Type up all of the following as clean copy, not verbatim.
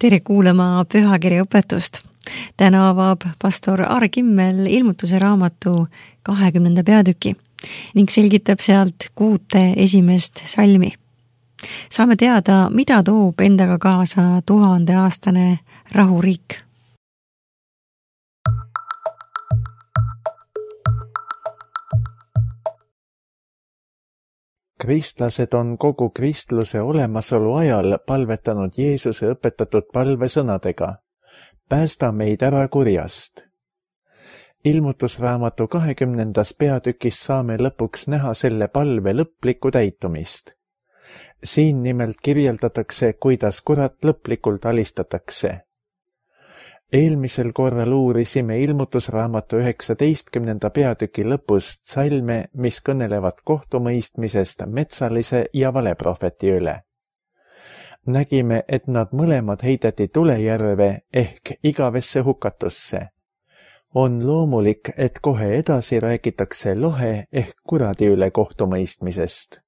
Tere kuulama pühakirja õpetust. Täna avab pastor Aare Kimmel ilmutuse raamatu 20. peatüki ning selgitab sealt 6 esimest salmi. Saame teada, mida toob endaga kaasa 1000-aastane rahuriik. Kristlased on kogu kristluse olemasolu ajal palvetanud Jeesuse õpetatud palvesõnadega: päästa meid ära kurjast. Ilmutusraamatu 20. peatükis saame lõpuks näha selle palve lõplikku täitumist. Siin nimelt kirjeldatakse, kuidas kurat lõplikult alistatakse. Eelmisel korral uurisime ilmutusraamatu 19. peatüki lõpust salme, mis kõnelevad kohtumõistmisest metsalise ja valeprohveti üle. Nägime, et nad mõlemad heideti tulejärve ehk igavesse hukatusse. On loomulik, et kohe edasi räägitakse lohe ehk kuradi üle kohtumõistmisest.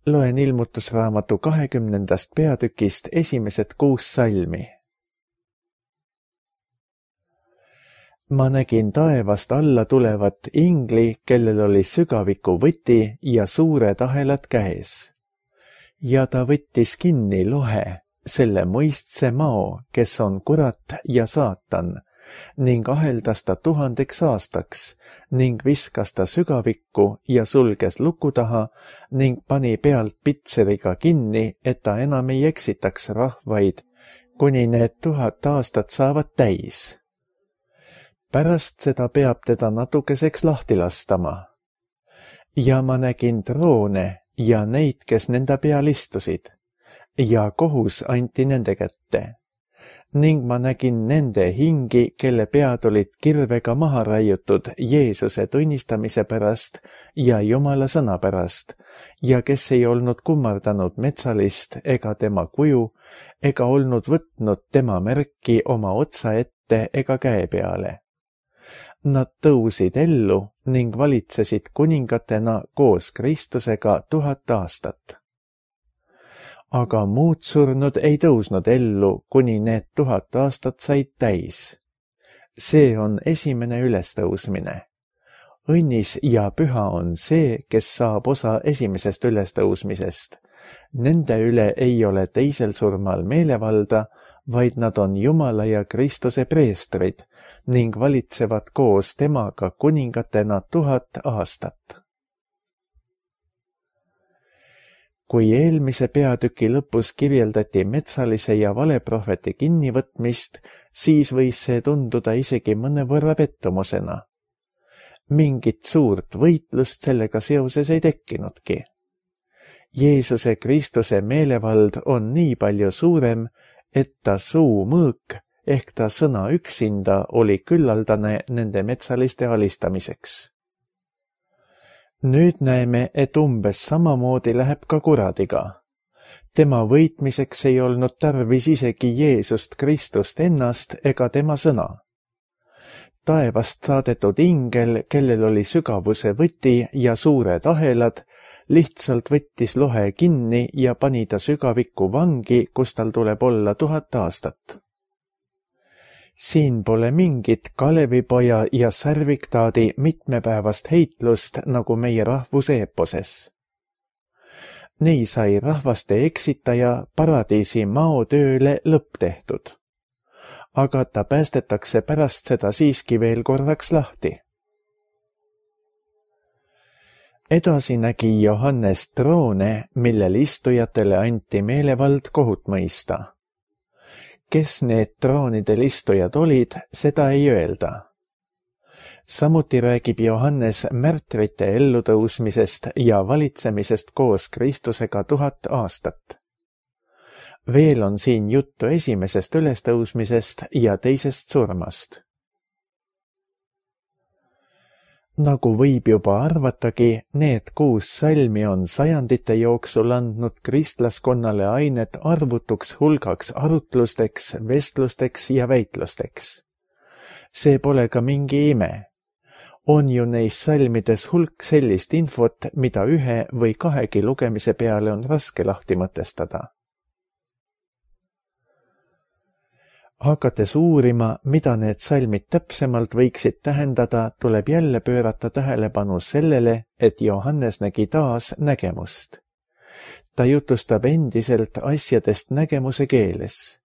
Loen ilmutusraamatu 20. peatükist esimesed 6 salmi. Ma nägin taevast alla tulevat ingli, kellel oli sügaviku võti ja suured ahelad käes. Ja ta võttis kinni lohe, selle mõistse mao, kes on kurat ja saatan, ning aheldas ta 1000 aastaks, ning viskas ta sügavikku ja sulges luku taha, ning pani pealt pitseriga kinni, et ta enam ei eksitaks rahvaid, kuni need 1000 aastat saavad täis. Pärast seda peab teda natukeseks lahti lastama. Ja ma nägin troone ja neid, kes nende peal istusid, ja kohus anti nende kätte. Ning ma nägin nende hingi, kelle pead olid kirvega maha raiutud Jeesuse tunnistamise pärast ja Jumala sõna pärast, ja kes ei olnud kummardanud metsalist ega tema kuju, ega olnud võtnud tema märki oma otsa ette ega käe peale. Nad tõusid ellu ning valitsesid kuningatena koos Kristusega 1000 aastat. Aga muud surnud ei tõusnud ellu, kuni need 1000 aastat said täis. See on esimene ülestõusmine. Õnnis ja püha on see, kes saab osa esimesest ülestõusmisest. Nende üle ei ole teisel surmal meelevalda, vaid nad on Jumala ja Kristuse preestrid ning valitsevad koos temaga kuningatena 1000 aastat. Kui eelmise peatüki lõpus kirjeldati metsalise ja valeprohveti kinnivõtmist, siis võis see tunduda isegi mõnevõrra pettumusena. Mingit suurt võitlust sellega seoses ei tekkinudki. Jeesuse Kristuse meelevald on nii palju suurem, et ta suu mõõk ehk ta sõna üksinda oli küllaldane nende metsaliste alistamiseks. Nüüd näeme, et umbes samamoodi läheb ka kuradiga. Tema võitmiseks ei olnud tarvis isegi Jeesust Kristust ennast ega tema sõna. Taevast saadetud ingel, kellel oli sügavuse võti ja suured ahelad, lihtsalt võttis lohe kinni ja pani ta sügavikku vangi, kus tal tuleb olla 1000 aastat. Siin pole mingit Kalevipoja ja Sarviktaadi mitmepäevast heitlust nagu meie rahvuse eeposes. Nii sai rahvaste eksitaja paradiisi maotööle lõpp tehtud. Aga ta päästetakse pärast seda siiski veel korraks lahti. Edasi nägi Johannes troone, millel istujatele anti meelevald kohut mõista. Kes need troonidel istujad olid, seda ei öelda. Samuti räägib Johannes märtrite ellutõusmisest ja valitsemisest koos Kristusega 1000 aastat. Veel on siin juttu esimesest ülestõusmisest ja teisest surmast. Nagu võib juba arvatagi, need 6 salmi on sajandite jooksul andnud kristlaskonnale ainet arvutuks hulgaks arutlusteks, vestlusteks ja väitlusteks. See pole ka mingi ime. On ju neis salmides hulk sellist infot, mida 1 või 2 lugemise peale on raske lahti mõtestada. Hakates uurima, mida need salmid täpsemalt võiksid tähendada, tuleb jälle pöörata tähelepanu sellele, et Johannes nägi taas nägemust. Ta jutustab endiselt asjadest nägemuse keeles.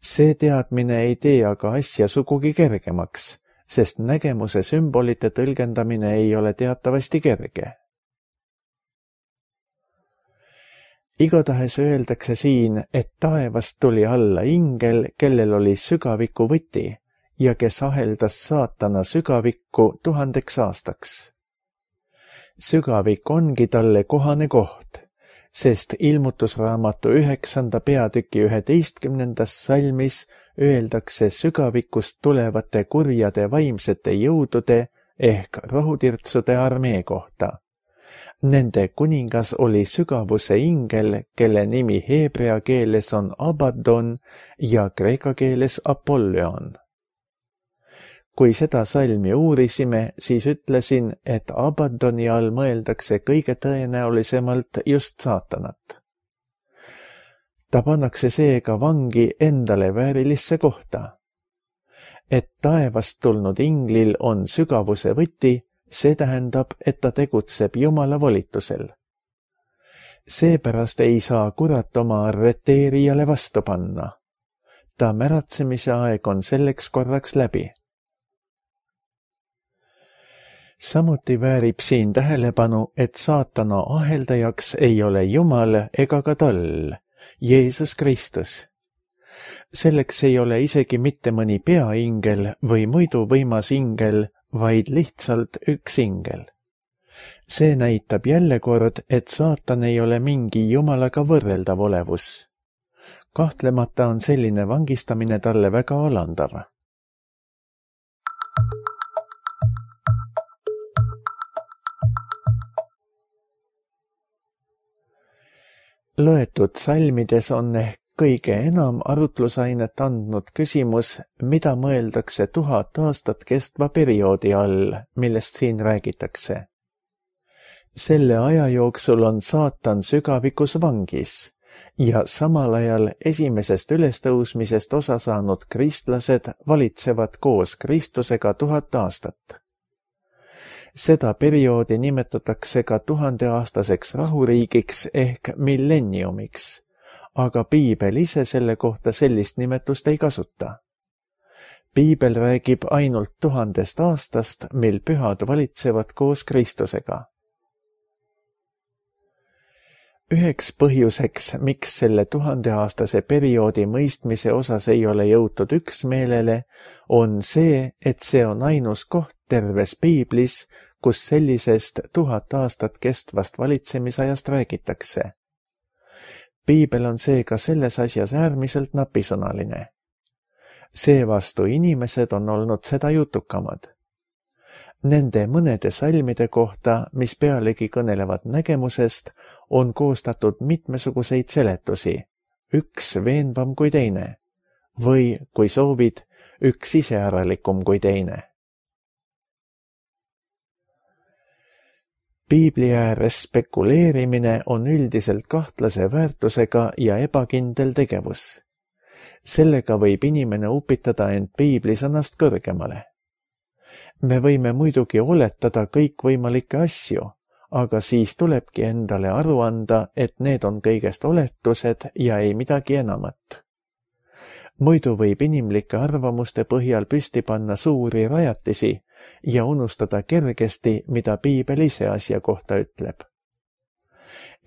See teadmine ei tee aga asja sugugi kergemaks, sest nägemuse sümbolite tõlgendamine ei ole teatavasti kerge. Igatahes öeldakse siin, et taevast tuli alla ingel, kellel oli sügaviku võti ja kes aheldas saatana sügavikku 1000 aastaks. Sügavik ongi talle kohane koht, sest ilmutusraamatu 9. peatüki 11. salmis öeldakse sügavikust tulevate kurjade vaimsete jõudude ehk rohutirtsude armee kohta. Nende kuningas oli sügavuse ingel, kelle nimi heebrea keeles on Abaddon ja kreeka keeles Apollyon. Kui seda salmi uurisime, siis ütlesin, et Abaddoni all mõeldakse kõige tõenäolisemalt just saatanat. Ta pannakse seega vangi endale väärilisse kohta. Et taevast tulnud inglil on sügavuse võti, see tähendab, et ta tegutseb Jumala volitusel. Seepärast ei saa kurat oma arreteerijale vastu panna. Ta märatsemise aeg on selleks korraks läbi. Samuti väärib siin tähelepanu, et saatana aheldajaks ei ole Jumal ega ka tal, Jeesus Kristus. Selleks ei ole isegi mitte mõni peaingel või muidu võimas ingel, vaid lihtsalt üks ingel. See näitab jälle kord, et saatan ei ole mingi Jumalaga võrreldav olevus. Kahtlemata on selline vangistamine talle väga alandav. Loetud salmides on ehk kõige enam arutlusainet andnud küsimus, mida mõeldakse 1000 aastat kestva perioodi all, millest siin räägitakse. Selle aja jooksul on saatan sügavikus vangis ja samal ajal esimesest ülestõusmisest osa saanud kristlased valitsevad koos Kristusega 1000 aastat. Seda perioodi nimetatakse ka 1000-aastaseks rahuriigiks ehk millenniumiks, aga piibel ise selle kohta sellist nimetust ei kasuta. Piibel räägib ainult 1000 aastast, mil pühad valitsevad koos Kristusega. Üheks põhjuseks, miks selle 1000-aastase perioodi mõistmise osas ei ole jõutud üksmeelele, on see, et see on ainus koht terves piiblis, kus sellisest 1000 aastat kestvast valitsemisajast räägitakse. Piibel on seega selles asjas äärmiselt napisõnaline. Seevastu inimesed on olnud seda jutukamad. Nende mõnede salmide kohta, mis pealegi kõnelevad nägemusest, on koostatud mitmesuguseid seletusi, üks veenvam kui teine, või, kui soovid, üks iseäralikum kui teine. Piibli ääres spekuleerimine on üldiselt kahtlase väärtusega ja ebakindel tegevus. Sellega võib inimene upitada end piiblisõnast kõrgemale. Me võime muidugi oletada kõikvõimalikke asju, aga siis tulebki endale aru anda, et need on kõigest oletused ja ei midagi enamat. Muidu võib inimlike arvamuste põhjal püsti panna suuri rajatisi ja unustada kergesti, mida piibel ise asja kohta ütleb.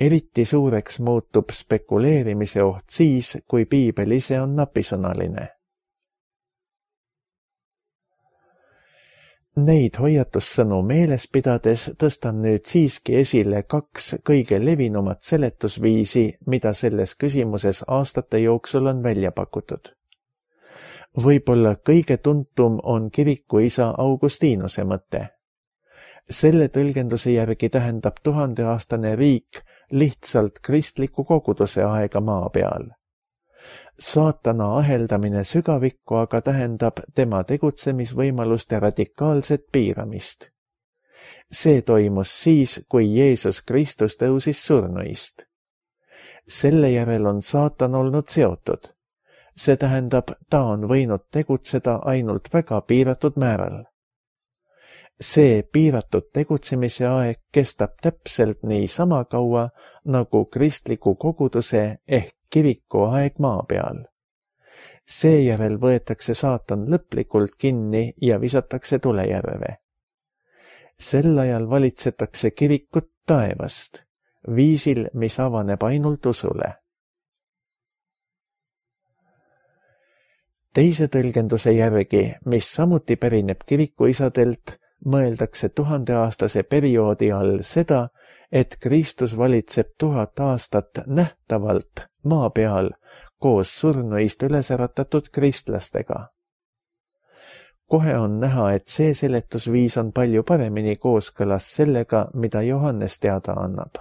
Eriti suureks muutub spekuleerimise oht siis, kui piibel ise on napisõnaline. Neid hoiatussõnu meeles pidades tõstan nüüd siiski esile 2 kõige levinumat seletusviisi, mida selles küsimuses aastate jooksul on välja pakutud. Võib-olla kõige tuntum on kirikuisa Augustinuse mõte. Selle tõlgenduse järgi tähendab 1000-aastane riik lihtsalt kristliku koguduse aega maa peal. Saatana aheldamine sügavikku aga tähendab tema tegutsemisvõimaluste radikaalset piiramist. See toimus siis, kui Jeesus Kristus tõusis surnuist. Selle järel on saatan olnud seotud. See tähendab, ta on võinud tegutseda ainult väga piiratud määral. See piiratud tegutsemise aeg kestab täpselt niisama kaua nagu kristliku koguduse ehk kiriku aeg maa peal. Seejärel võetakse saatan lõplikult kinni ja visatakse tulejärve. Sel ajal valitsetakse kirikut taevast, viisil, mis avaneb ainult usule. Teise tõlgenduse järgi, mis samuti pärineb kirikuisadelt, mõeldakse 1000-aastase perioodi all seda, et Kristus valitseb 1000 aastat nähtavalt maa peal koos surnuist üles äratatud kristlastega. Kohe on näha, et see seletusviis on palju paremini kooskõlas sellega, mida Johannes teada annab.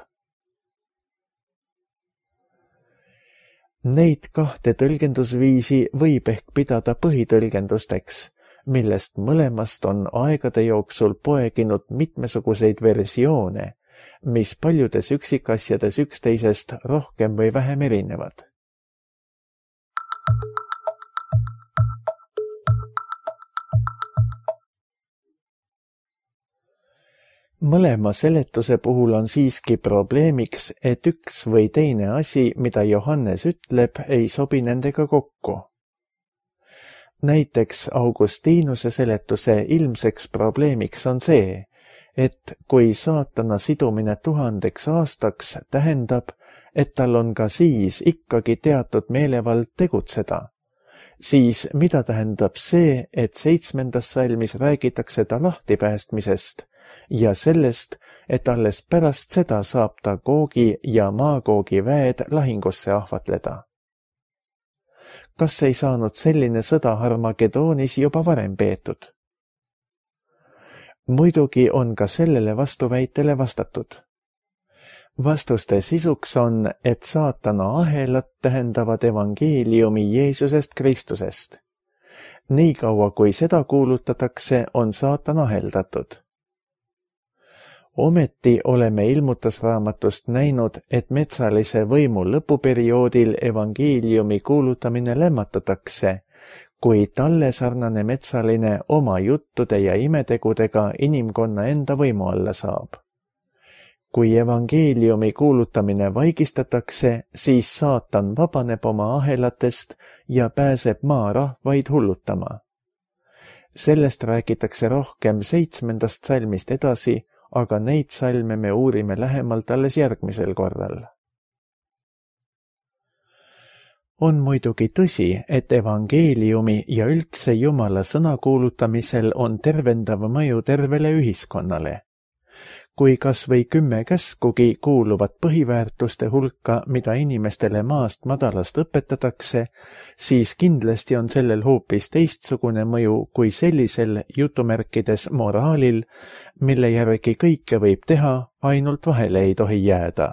Neid kahte tõlgendusviisi võib ehk pidada põhitõlgendusteks, millest mõlemast on aegade jooksul poeginud mitmesuguseid versioone, mis paljudes üksikasjades üksteisest rohkem või vähem erinevad. Mõlema seletuse puhul on siiski probleemiks, et üks või teine asi, mida Johannes ütleb, ei sobi nendega kokku. Näiteks Augustinuse seletuse ilmseks probleemiks on see, et kui saatana sidumine 1000 aastaks tähendab, et tal on ka siis ikkagi teatud meelevald tegutseda, siis mida tähendab see, et 7. salmis räägitakse ta lahtipäästmisest ja sellest, et alles pärast seda saab ta Googi ja Magoogi väed lahingusse ahvatleda. Kas ei saanud selline sõda Harmagedoonis juba varem peetud? Muidugi on ka sellele vastuväitele vastatud. Vastuste sisuks on, et saatana ahelad tähendavad evangeeliumi Jeesusest Kristusest. Niikaua kui seda kuulutatakse, on saatan aheldatud. Ometi oleme ilmutusraamatust näinud, et metsalise võimu lõpuperioodil evangeeliumi kuulutamine lämmatatakse, kui talle sarnane metsaline oma juttude ja imetegudega inimkonna enda võimu alla saab. Kui evangeeliumi kuulutamine vaigistatakse, siis saatan vabaneb oma ahelatest ja pääseb maarahvaid hullutama. Sellest räägitakse rohkem 7. salmist edasi, aga neid salme me uurime lähemalt alles järgmisel korral. On muidugi tõsi, et evangeeliumi ja üldse Jumala sõna kuulutamisel on tervendav mõju tervele ühiskonnale. Kui kas või 10 käskugi kuuluvad põhiväärtuste hulka, mida inimestele maast madalast õpetatakse, siis kindlasti on sellel hoopis teistsugune mõju kui sellisel jutumärkides moraalil, mille järgi kõike võib teha, ainult vahele ei tohi jääda.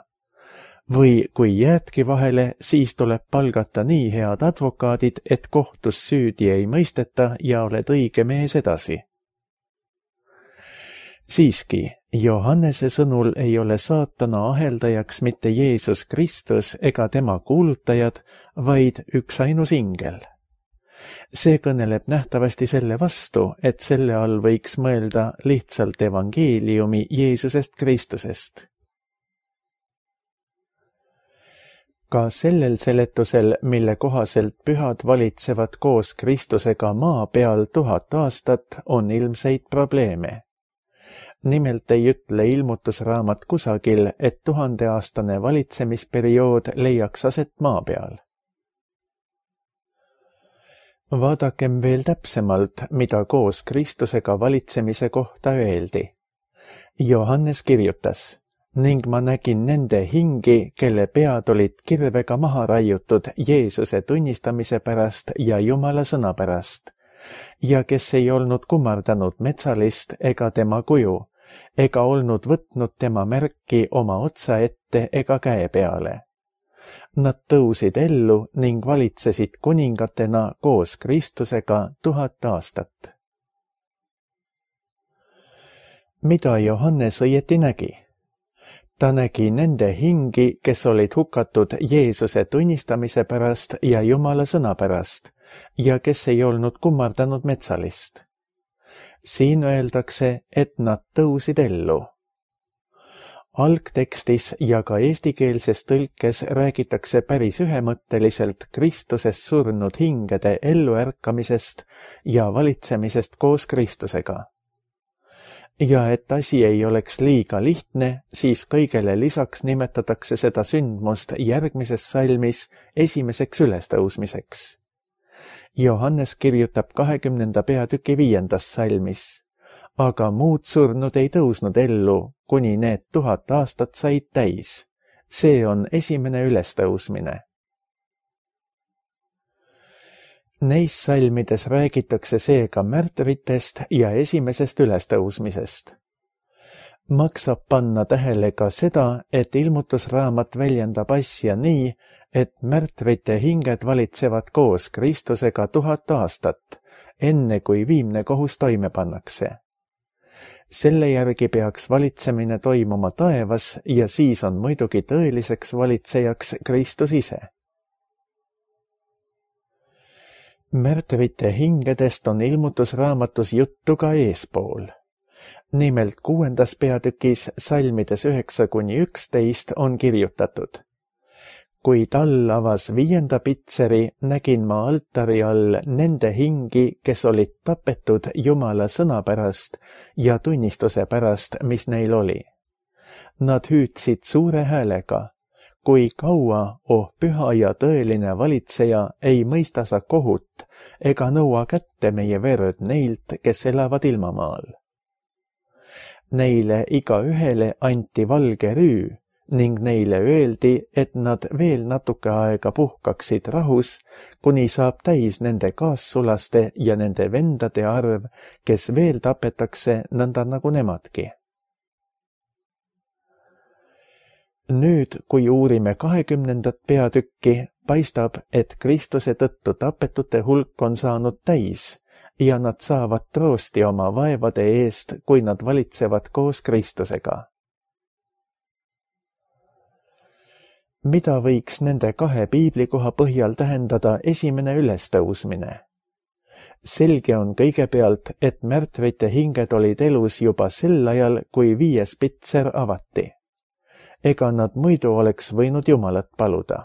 Või kui jäädki vahele, siis tuleb palgata nii head advokaadid, et kohtus süüdi ei mõisteta ja oled õige mees edasi. Siiski, Johannese sõnul ei ole saatana aheldajaks mitte Jeesus Kristus ega tema kuulutajad, vaid üksainus ingel. See kõneleb nähtavasti selle vastu, et selle all võiks mõelda lihtsalt evangeeliumi Jeesusest Kristusest. Ka sellel seletusel, mille kohaselt pühad valitsevad koos Kristusega maa peal 1000 aastat, on ilmseid probleeme. Nimelt ei ütle ilmutusraamat kusagil, et 1000-aastane valitsemisperiood leiaks aset maa peal. Vaadakem veel täpsemalt, mida koos Kristusega valitsemise kohta öeldi. Johannes kirjutas, ning ma nägin nende hingi, kelle pead olid kirvega maha raiutud Jeesuse tunnistamise pärast ja Jumala sõna pärast, ja kes ei olnud kummardanud metsalist ega tema kuju, ega olnud võtnud tema märki oma otsa ette ega käe peale. Nad tõusid ellu ning valitsesid kuningatena koos Kristusega 1000 aastat. Mida Johannes õieti nägi? ta nägi nende hingi, kes olid hukatud Jeesuse tunnistamise pärast ja Jumala sõna pärast ja kes ei olnud kummardanud metsalist. Siin öeldakse, et nad tõusid ellu. Algtekstis ja ka eestikeelses tõlkes räägitakse päris ühemõtteliselt Kristuses surnud hingede elluärkamisest ja valitsemisest koos Kristusega. Ja et asi ei oleks liiga lihtne, siis kõigele lisaks nimetatakse seda sündmust järgmises salmis esimeseks ülestõusmiseks. Johannes kirjutab 20. peatüki 5. salmis. Aga muud surnud ei tõusnud ellu, kuni need 1000 aastat said täis. See on esimene ülestõusmine. Neis salmides räägitakse seega märtritest ja esimesest ülestõusmisest. Maksab panna tähele ka seda, et ilmutusraamat väljendab asja nii, et märtrite hinged valitsevad koos Kristusega 1000 aastat, enne kui viimne kohus toime pannakse. Selle järgi peaks valitsemine toimuma taevas ja siis on muidugi tõeliseks valitsejaks Kristus ise. Märtrite hingedest on ilmutusraamatus juttu ka eespool. Nimelt 6. peatükis salmides 9-11 on kirjutatud. Kui tal avas 5. pitseri, nägin ma altari all nende hingi, kes olid tapetud Jumala sõna pärast ja tunnistuse pärast, mis neil oli. Nad hüüdsid suure häälega, kui kaua, oh püha ja tõeline valitseja, ei mõista sa kohut ega nõua kätte meie verd neilt, kes elavad ilmamaal. Neile igaühele anti valge rüü ning neile öeldi, et nad veel natuke aega puhkaksid rahus, kuni saab täis nende kaassulaste ja nende vendade arv, kes veel tapetakse nõnda nagu nemadki. Nüüd, kui uurime 20. peatükki, paistab, et Kristuse tõttu tapetute hulk on saanud täis ja nad saavad troosti oma vaevade eest, kui nad valitsevad koos Kristusega. Mida võiks nende 2 piiblikoha põhjal tähendada esimene ülestõusmine? Selge on kõigepealt, et märtrite hinged olid elus juba sel ajal, kui 5. pitser avati. Ega nad muidu oleks võinud Jumalat paluda.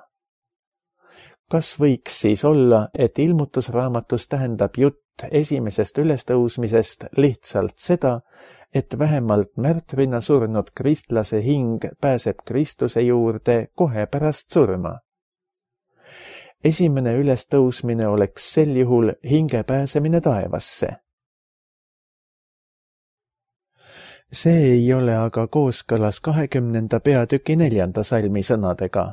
Kas võiks siis olla, et ilmutusraamatus tähendab jutt esimesest ülestõusmisest lihtsalt seda, et vähemalt märtrina surnud kristlase hing pääseb Kristuse juurde kohe pärast surma? Esimene ülestõusmine oleks sel juhul hinge pääsemine taevasse. See ei ole aga kooskõlas 20. peatüki 4. salmi sõnadega.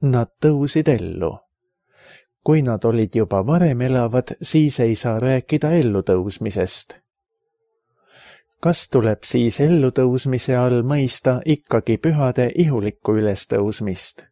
Nad tõusid ellu. Kui nad olid juba varem elavad, siis ei saa rääkida ellutõusmisest. Kas tuleb siis ellutõusmise all mõista ikkagi pühade ihulikku ülestõusmist?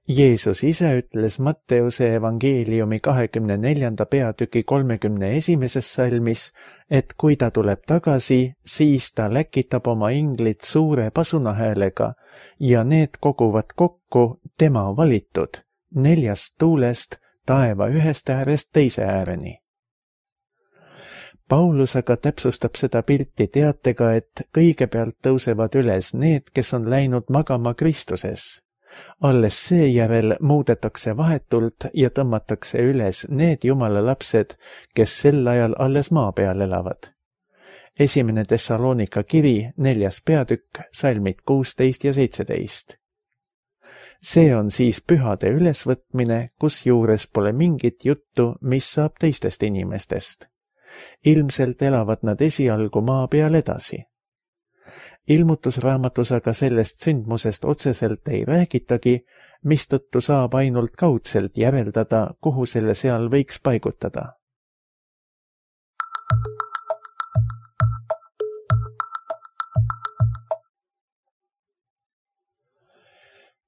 Jeesus ise ütles Matteuse evangeeliumi 24. peatüki 31. salmis, et kui ta tuleb tagasi, siis ta läkitab oma inglid suure pasunahäälega ja need koguvad kokku tema valitud 4 tuulest taeva ühest äärest teise ääreni. Paulus aga täpsustab seda pilti teatega, et kõigepealt tõusevad üles need, kes on läinud magama Kristuses. Alles seejärel muudetakse vahetult ja tõmmatakse üles need Jumala lapsed, kes sel ajal alles maa peal elavad. 1. Thessalonika kiri, 4. peatükk, salmid 16 ja 17. See on siis pühade ülesvõtmine, kusjuures pole mingit juttu, mis saab teistest inimestest. Ilmselt elavad nad esialgu maa peal edasi. Ilmutusraamatus aga sellest sündmusest otseselt ei räägitagi, mistõttu saab ainult kaudselt järeldada, kuhu selle seal võiks paigutada.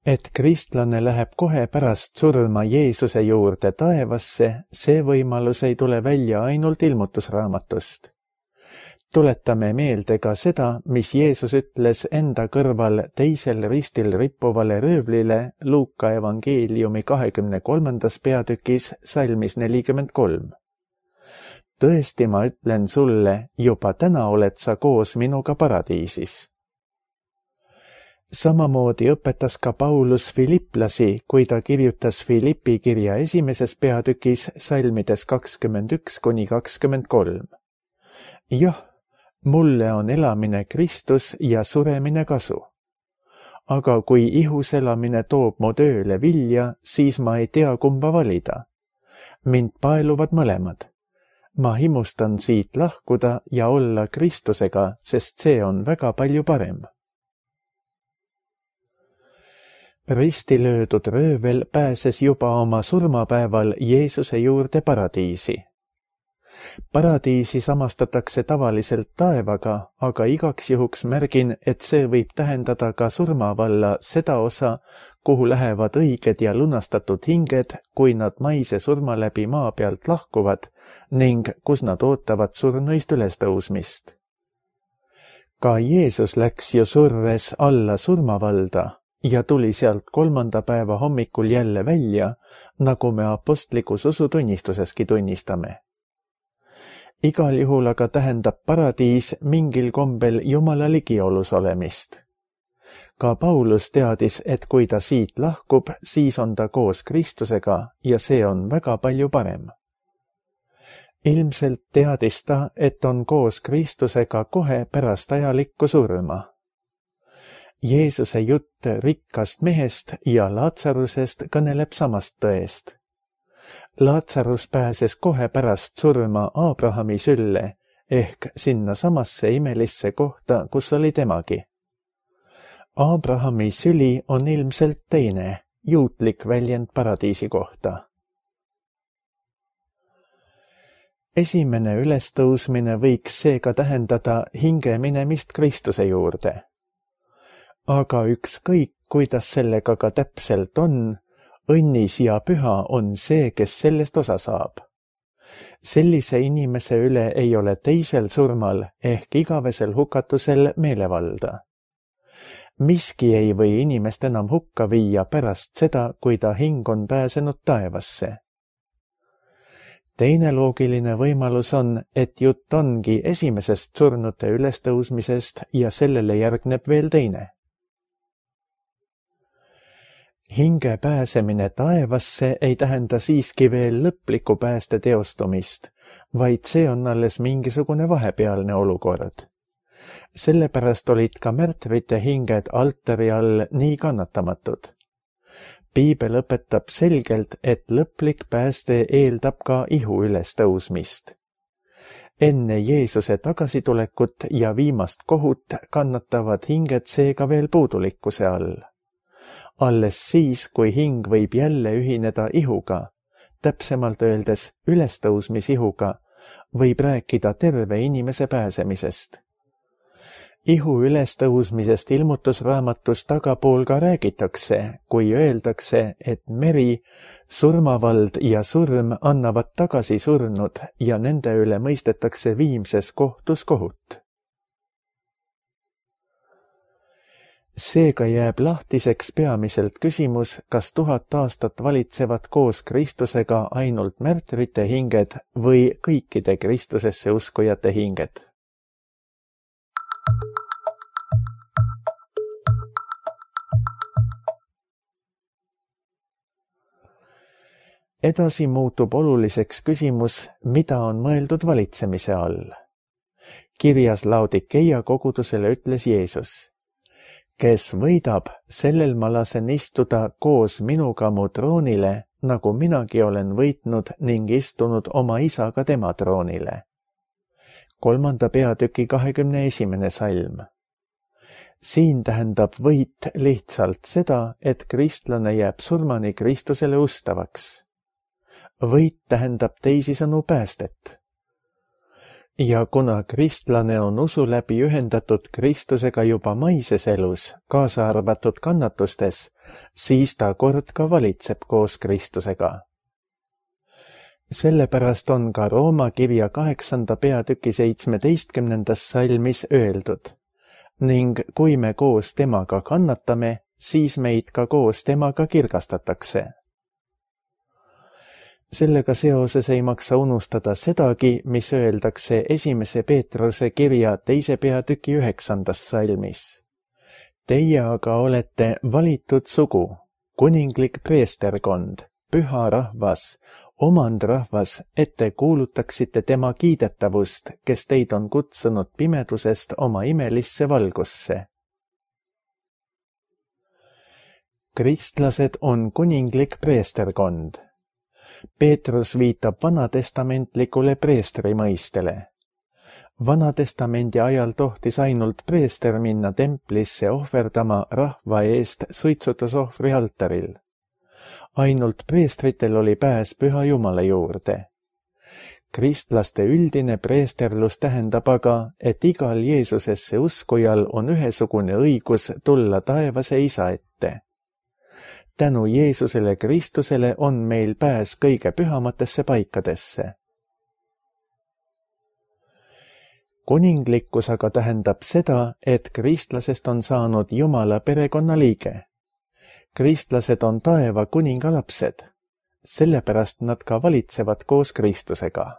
Et kristlane läheb kohe pärast surma Jeesuse juurde taevasse, see võimalus ei tule välja ainult ilmutusraamatust. Tuletame meelde ka seda, mis Jeesus ütles enda kõrval teisel ristil rippuvale röövlile Luuka evangeeliumi 23. peatükis salmis 43. Tõesti, ma ütlen sulle, juba täna oled sa koos minuga paradiisis. Samamoodi õpetas ka Paulus filiplasi, kui ta kirjutas Filippi kirja 1. peatükis salmides 21–23. Jah, mulle on elamine Kristus ja suremine kasu. Aga kui ihus elamine toob mu tööle vilja, siis ma ei tea, kumba valida. Mind paeluvad mõlemad. Ma himustan siit lahkuda ja olla Kristusega, sest see on väga palju parem. Risti löödud röövel pääses juba oma surmapäeval Jeesuse juurde paradiisi. Paradiisi samastatakse tavaliselt taevaga, aga igaks juhuks märgin, et see võib tähendada ka surmavalla seda osa, kuhu lähevad õiged ja lunastatud hinged, kui nad maise surma läbi maa pealt lahkuvad ning kus nad ootavad surnuist ülestõusmist. Ka Jeesus läks ju surres alla surmavalda ja tuli sealt 3. päeva hommikul jälle välja, nagu me apostlikus usutunnistuseski tunnistame. Igal juhul aga tähendab paradiis mingil kombel Jumala ligiolus olemist. Ka Paulus teadis, et kui ta siit lahkub, siis on ta koos Kristusega ja see on väga palju parem. Ilmselt teadis ta, et on koos Kristusega kohe pärast ajalikku surma. Jeesuse jutt rikkast mehest ja Laatsarusest kõneleb samast tõest. Laatsarus pääses kohe pärast surma Abrahami sülle ehk sinna samasse imelisse kohta, kus oli temagi. Abrahami süli on ilmselt teine, juutlik väljend paradiisi kohta. Esimene ülestõusmine võiks seega tähendada hinge minemist Kristuse juurde. Aga ükskõik, kuidas sellega ka täpselt on, õnnis ja püha on see, kes sellest osa saab. Sellise inimese üle ei ole teisel surmal ehk igavesel hukatusel meelevalda. Miski ei või inimest enam hukka viia pärast seda, kui ta hing on pääsenud taevasse. Teine loogiline võimalus on, et jutt ongi esimesest surnute ülestõusmisest ja sellele järgneb veel teine. Hinge pääsemine taevasse ei tähenda siiski veel lõplikku pääste teostumist, vaid see on alles mingisugune vahepealne olukord. Sellepärast olid ka märtrite hinged altari all nii kannatamatud. Piibel õpetab selgelt, et lõplik pääste eeldab ka ihu ülestõusmist. Enne Jeesuse tagasitulekut ja viimast kohut kannatavad hinged seega veel puudulikkuse all. Alles siis, kui hing võib jälle ühineda ihuga, täpsemalt öeldes ülestõusmisihuga, võib rääkida terve inimese pääsemisest. Ihu ülestõusmisest ilmutusraamatus tagapool ka räägitakse, kui öeldakse, et meri, surmavald ja surm annavad tagasi surnud ja nende üle mõistetakse viimses kohtus kohut. Seega jääb lahtiseks peamiselt küsimus, kas 1000 aastat valitsevad koos Kristusega ainult märtrite hinged või kõikide Kristusesse uskujate hinged. Edasi muutub oluliseks küsimus, mida on mõeldud valitsemise all. Kirjas Laodikeia kogudusele ütles Jeesus: kes võidab, sellel ma lasen istuda koos minuga mu troonile, nagu minagi olen võitnud ning istunud oma isaga tema troonile. 3. peatüki 21. salm. Siin tähendab võit lihtsalt seda, et kristlane jääb surmani Kristusele ustavaks. Võit tähendab teisisõnu päästet. Ja kuna kristlane on usu läbi ühendatud Kristusega juba maises elus, kaasa arvatud kannatustes, siis ta kord ka valitseb koos Kristusega. Sellepärast on ka Rooma kirja 8. peatüki 17. salmis öeldud: ning kui me koos temaga kannatame, siis meid ka koos temaga kirgastatakse. Sellega seoses ei maksa unustada sedagi, mis öeldakse 1. Peetruse kirja 2. peatüki 9. salmis. Teie aga olete valitud sugu, kuninglik preesterkond, püha rahvas, omandrahvas, et te kuulutaksite tema kiidetavust, kes teid on kutsunud pimedusest oma imelisse valgusse. Kristlased on kuninglik preesterkond. Peetrus viitab vanatestamentlikule preestri mõistele. Vanatestamendi ajal tohtis ainult preester minna templisse ohverdama rahva eest suitsutusohvri altaril. Ainult preestritel oli pääs Püha Jumala juurde. Kristlaste üldine preesterlus tähendab aga, et igal Jeesusesse uskujal on ühesugune õigus tulla taevase Isa ette. Tänu Jeesusele Kristusele on meil pääs kõige pühamatesse paikadesse. Kuninglikkus aga tähendab seda, et kristlasest on saanud Jumala perekonnaliige. Kristlased on taeva kuninga lapsed, sellepärast nad ka valitsevad koos Kristusega.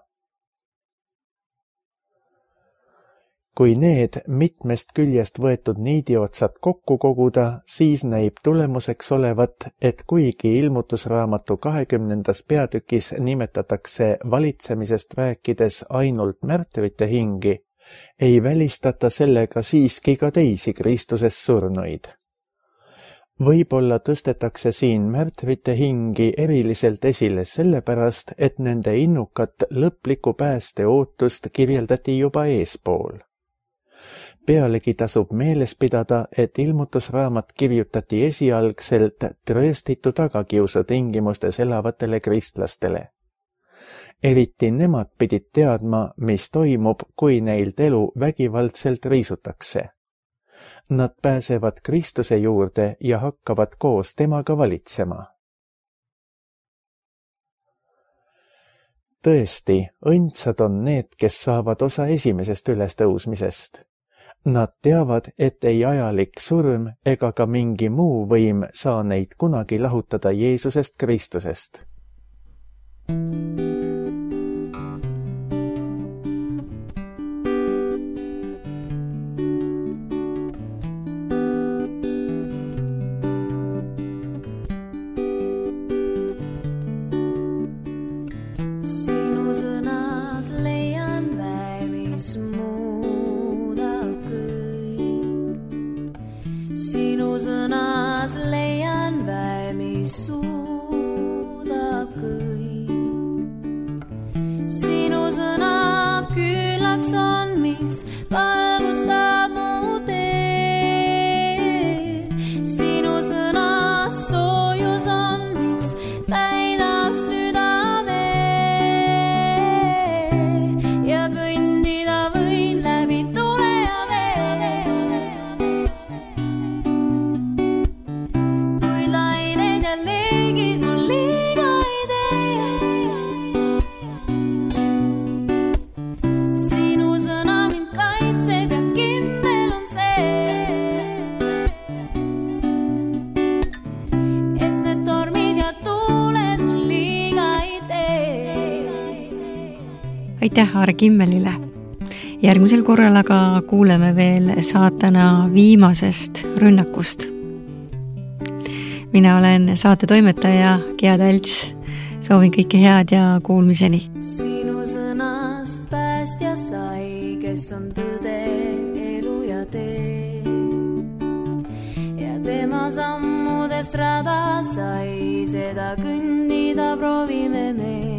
Kui need mitmest küljest võetud niidiotsad kokku koguda, siis näib tulemuseks olevat, et kuigi ilmutusraamatu 20. peatükis nimetatakse valitsemisest rääkides ainult märtrite hingi, ei välistata sellega siiski ka teisi Kristuses surnuid. Võib-olla tõstetakse siin märtrite hingi eriliselt esile sellepärast, et nende innukat lõplikku pääste ootust kirjeldati juba eespool. Pealegi tasub meeles pidada, et ilmutusraamat kirjutati esialgselt trööstitu tagakiusu tingimustes elavatele kristlastele. Eriti nemad pidid teadma, mis toimub, kui neilt elu vägivaldselt riisutakse. Nad pääsevad Kristuse juurde ja hakkavad koos temaga valitsema. Tõesti, õndsad on need, kes saavad osa esimesest ülestõusmisest. Nad teavad, et ei ajalik surm ega ka mingi muu võim saa neid kunagi lahutada Jeesusest Kristusest. Aitäh Argimmelile. Järgmisel korral aga kuuleme veel saatana viimasest rünnakust. Mina olen saate toimetaja Gea Talts. Soovin kõike head ja kuulmiseni. Sinu sõnast päästja sai, kes on tõde, elu ja tee. Ja tema sammudest rada sai, seda kõndida proovime me.